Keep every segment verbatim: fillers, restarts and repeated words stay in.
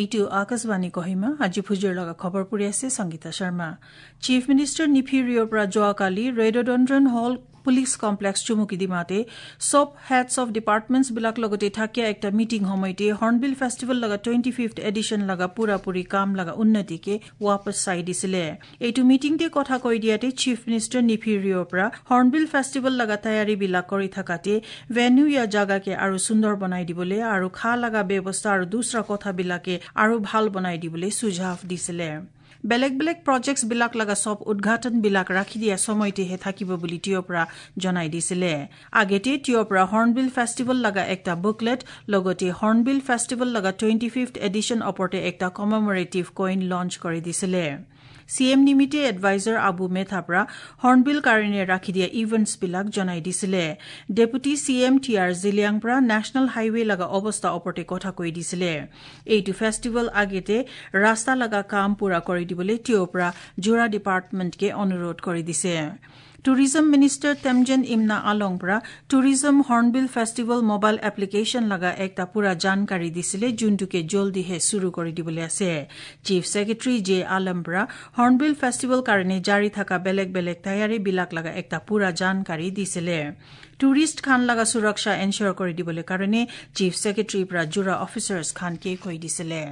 এইটো আকাশবাণী কহিমা। আজি ভুজিৰ লগা খবৰ পৰি আছে সংগীতা শৰ্মা। চিফ মিনিষ্টাৰ নিফি ৰিঅ'ৰ পৰা যোৱাকালি ৰেডোডেণ্ড্ৰন হল পুলিচ কমপ্লেক্স চুমুকিডিমাতে চব হেডছ অফ ডিপাৰ্টমেণ্টছ বিলাক লগতে থাকিয়া একটা মিটিং সময়তে হৰ্ণবিল ফেষ্টিভেল লগা টুৱেণ্টি ফিফ্থ এডিশ্যন লগা পুৰাপুৰি কাম লগা উন্নতিকে ৱাপছ চাই দিছিলে। এইটো মিটিংতে কথা কৈ দিয়াতে চিফ মিনিষ্টাৰ নিফি ৰিঅ'ৰ পৰা হৰ্ণবিল ফেষ্টিভেল লগা তৈয়াৰী বিলাক কৰি থকাতে ভেন্যু ইয়া জাগাকে আৰু সুন্দৰ বনাই দিবলৈ আৰু খা লগা ব্যৱস্থা আৰু দুসৰা কথাবিলাকে আৰু ভাল বনাই দিবলৈ সুঝাৱ দিছিলে। বেলেগ বেলেগ প্ৰজেক্টছ বিলাক লগা চব উদঘাটন বিলাক ৰাখি দিয়া সময়তেহে থাকিব বুলি টিঅ'ৰ পৰা জনাই দিছিলে। আগেতে টিঅ'ৰ পৰা হৰ্ণবিল ফেষ্টিভেল লগা একটা বুকলেট লগতে হৰ্ণবিল ফেষ্টিভেল লগা টুৱেণ্টি ফিফ্থ এডিশ্যন ওপৰতে একটা কমেমৰেটিভ কইন লঞ্চ কৰি দিছিলে। চি এম নিমিতে এডভাইজাৰ আবু মেথা পৰা হৰ্ণবিল কাৰণে ৰাখি দিয়া ইভেণ্টছ বিলাক জনাই দিছিলে। Deputy C M T R Zeliang পৰা নেশ্যনেল হাইৱে লগা অৱস্থা ওপৰতে কথা কৈ দিছিলে। এইটো ফেষ্টিভেল আগেতে ৰাস্তা লগা কাম পুৰা কৰি দিবলৈ তেওঁৰ পৰা যোৰা ডিপাৰ্টমেণ্টকে অনুৰোধ কৰি দিছে। টুৰিজম মিনিষ্টাৰ তেমজেন ইমনা আলং পৰা tourism hornbill festival mobile application লগা একটা পুৰা জানকাৰী দিছিলে, যোনটোকে জলদিহে চুৰু কৰি দিবলৈ আছে। চিফ ছেক্ৰেটাৰী জে আলম পৰা হৰ্ণবিল ফেষ্টিভেল কাৰণে জাৰি থকা বেলেগ বেলেগ তৈয়াৰী বিলাক লগা একটা পুৰা জানকাৰী দিছিলে। টুৰিষ্ট খান লগা সুৰক্ষা এনচিয়ৰ কৰি দিবলৈ কাৰণে চিফ ছেক্ৰেটাৰীৰ পৰা যোৰা অফিচাৰ্ছ খানকে কৈ দিছিলে।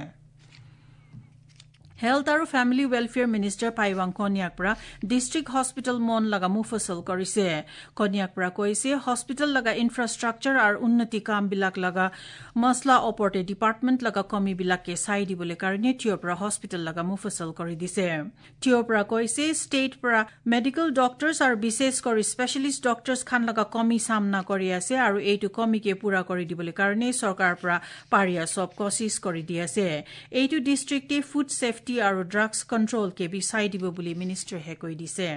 হেল্থ আৰু ফেমিলি ৱেলফেয়াৰ মিনিষ্টাৰ পাইৱাং কন্যাক পৰা ডিষ্ট্ৰিক্ট হস্পিটেল মন লগা মুফচল কৰিছে। কন্যাক পৰা কৈছে হস্পিটেল লগা ইনফ্ৰাষ্ট্ৰাকচাৰ আৰু উন্নতি কামবিলাক লগা মছলা ওপৰতে ডিপাৰ্টমেণ্ট লগা কমিবিলাকে চাই দিবলৈ কাৰণে থিয়ৰ পৰা হস্পিটেল লগা মুফচল কৰি দিছে। থিয়ৰ পৰা কৈছে ষ্টেট পৰা মেডিকেল ডক্টৰ্ছ আৰু বিশেষ কৰি স্পেচিয়েলিষ্ট ডক্টৰ্ছ খান লগা কমি সামনা কৰি আছে আৰু এইটো কমিকে পুৰা কৰি দিবলৈ কাৰণে চৰকাৰৰ পৰা পাৰিয়া চব কচিছ কৰি দি আছে। এইটো ডিষ্ট্ৰিক্টে ফুড ছেফটি আৰু ড্ৰাগছ কণ্ট্ৰল কে বিচাই দিব বুলি মিনিষ্টাৰহে কৈ দিছে।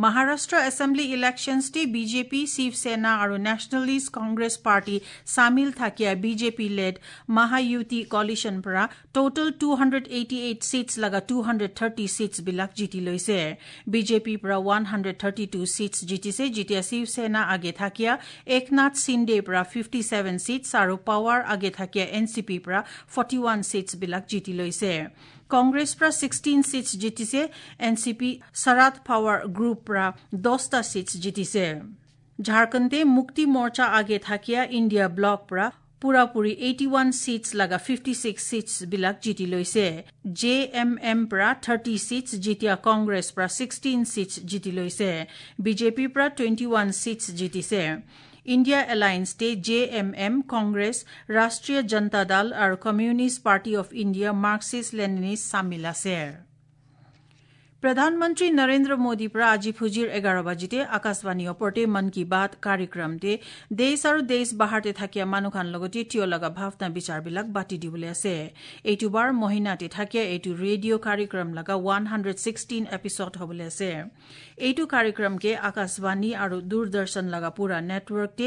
মহাৰাষ্ট্ৰ এছেম্বলি ইলেকশ্যনছতে বিজেপি, শিৱসেনা আৰু নেশ্যনেলিষ্ট কংগ্ৰেছ পাৰ্টি চামিল থাকিয়া বিজেপি লেড মহায়ুতি কলিশ্যন পৰা total two hundred eighty eight seats লগা টু হাণ্ড্ৰেড থাৰ্টি ছিটছ বিলাক জিতি লৈছে। বিজেপিৰ পৰা one hundred thirty two seats জিতিছে, যেতিয়া শিৱসেনা আগে থাকিয়া একনাথ সিন্দেৰ পৰা ফিফটি ছেভেন ছিটছ আৰু পাৱাৰ আগে থাকিয়া এন চি পিৰ পৰা ফৰ্টি ওৱান ছিটছ বিলাক জিতি লৈছে। কংগ্ৰেছ পৰা ছিক্সটিন ছিটছ জিতিছে, N C P Sharad Pawar group পৰা দহটা ছিটছ জিতিছে। ঝাৰখণ্ডে মুক্তি মৰ্চা আগে থাকিয়া ইণ্ডিয়া ব্লক পৰা পুৰাপুৰি এইটি ওৱান ছিটছ লগা ফিফটি ছিক্স ছিটছ বিলাক জিতি লৈছে। জে এম এম পৰা থাৰ্টি ছিটছ যেতিয়া কংগ্ৰেছ পৰা ছিক্সটিন ছিটছ জিতি লৈছে। বিজেপিৰ পৰা টুৱেণ্টি ওৱান ছিটছ জিতিছে। ইণ্ডিয়া এলায়েন্সতে J M M, Congress, Rashtriya Janata Dal আৰু communist party of India Marxist Leninist চামিল আছে। প্ৰধানমন্ত্ৰী নৰেন্দ্ৰ মোদীৰ পৰা আজি ফুজিৰ এঘাৰ বাজিতে আকাশবাণী ওপৰতে মন কী বাত কাৰ্যক্ৰমতে দেশ আৰু দেশ বাহাৰতে থাকিয়া মানুহখান লগতে থিয় লগা ভাৱনা বিচাৰবিলাক বাতি দিবলৈ আছে। এইটো বাৰ মহিনাতে থাকিয়া এইটো ৰেডিঅ' কাৰ্যক্ৰম লগা ওৱান হাণ্ড্ৰেড ছিক্সটিন এপিছড হ'বলৈ আছে। এইটো কাৰ্যক্ৰমকে আকাশবাণী আৰু দূৰদৰ্শন লগা পুৰা নেটৱৰ্কতে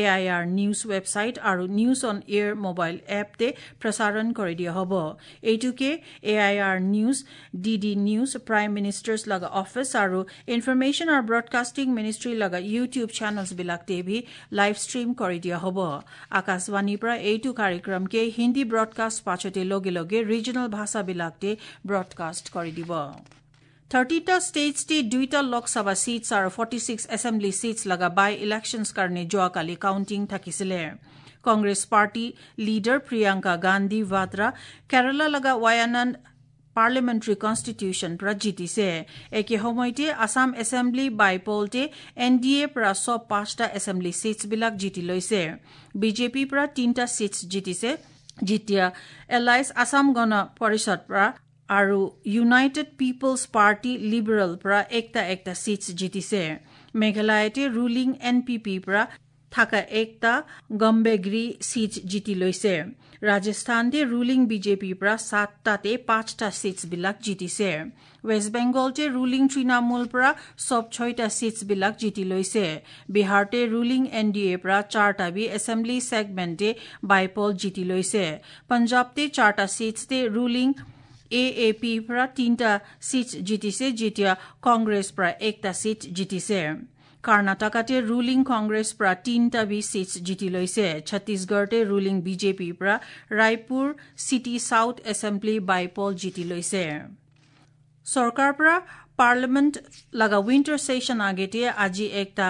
A I R news website আৰু নিউজ অন এয়াৰ মোবাইল এপতে প্ৰচাৰণ কৰি দিয়া হ'ব। এইটোকে A I R news, D D news, prime ministers লগা অফিচ আৰু ইনফৰমেশ্যন আৰু ব্ৰডকাষ্টিং মিনিষ্ট্ৰী লগা ইউটিউব চেনেলছ বিলাকতে ভি লাইভ ষ্ট্ৰীম কৰি দিয়া হ'ব। আকাশবাণীৰ পৰা এইটো কাৰ্যক্ৰমকে হিন্দী ব্ৰডকাষ্ট পাছতে লগে লগে ৰিজনেল ভাষাবিলাকতে ব্ৰডকাষ্ট কৰি দিব। থাৰ্টিটা ষ্টেটছতে দুইটা লোকসভা ছিটছ আৰু ফৰ্টি ছিক্স এছেম্বলি ছিটছ লগা বাই ইলেকশ্যনছ কাৰণে যোৱাকালি কাউণ্টিং থাকিছিলে। কংগ্ৰেছ পাৰ্টি লিডাৰ প্ৰিয়ংকা গান্ধী ভাদ্ৰা কেৰালা লগা ৱায়ানাণ্ড পাৰ্লিমেণ্টাৰী কনষ্টিটিউশ্যন পৰা জিতিছে। একে সময়তে আছাম এছেম্বলি বাইপলতে এন ডি এ পৰা চব পাঁচটা এছেম্বলি ছিটছবিলাক জিতি লৈছে। বিজেপিৰ পৰা তিনিটা ছিটছ জিতিছে, যেতিয়া এলাইছ আছাম গণ পৰিষদ পৰা আৰু ইউনাইটেড পিপলছ পাৰ্টি লিবাৰেল পৰা একটা একটা ছিটছ জিতিছে। মেঘালয়তে ৰুলিং এন পি পিৰ পৰা থকা একটা গম্বেগ্ৰী ছিট জিতি লৈছে। ৰাজস্থানতে ৰুলিং বিজেপিৰ পৰা সাতটাতে পাঁচটা ছিটছবিলাক জিতিছে। ৱেষ্ট বেংগলতে ৰুলিং তৃণমূল পৰা চব ছয়টা ছিটছবিলাক জিতি লৈছে। বিহাৰতে ৰুলিং এন ডি এৰ পৰা চাৰটা বি এছেম্বলি ছেগমেণ্টে বাইপল জিতি লৈছে। পঞ্জাৱতে চাৰটা ছিটছতে ৰুলিং এ এ পিৰ পৰা তিনিটা ছিট জিতিছে, যেতিয়া কংগ্ৰেছ পৰা একটা ছিট জিতিছে। কৰ্ণাটকাতে ৰুলিং কংগ্ৰেছ পৰা তিনিটা বি চিটছ জিতি লৈছে। ছত্তীশগড়তে ৰুলিং বিজেপিৰ পৰা Raipur city south assembly bypoll জিতি লৈছে। চৰকাৰৰ পৰা পাৰ্লিমেণ্ট লগা উইণ্টাৰ ছেছন আগেতে আজি একটা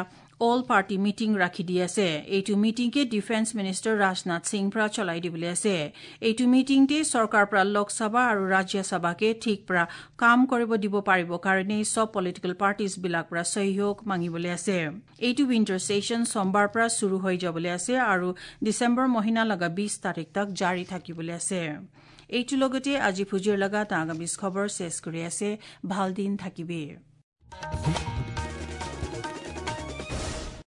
অল পাৰ্টি মিটিং ৰাখি দি আছে। এইটো মিটিংকে ডিফেন্স মিনিষ্টাৰ ৰাজনাথ সিং পৰা চলাই দিবলৈ আছে। এইটো মিটিংতে চৰকাৰৰ পৰা লোকসভা আৰু ৰাজ্যসভাকে ঠিক পৰা কাম কৰিব দিব পাৰিব কাৰণে চব পলিটিকেল পাৰ্টিজ বিলাক পৰা সহযোগ মাগিবলৈ আছে। এইটো উইণ্টাৰ ছেছন সোমবাৰ পৰা চুৰু হৈ যাবলৈ আছে আৰু ডিচেম্বৰ মহিনা লগা বিশ তাৰিখ তক জাৰি থাকিবলৈ আছে। এইটো লগতে আজি ফুজিৰ লগা আগামী খবৰ শেষ কৰি আছে। ভাল দিন থাকিবি।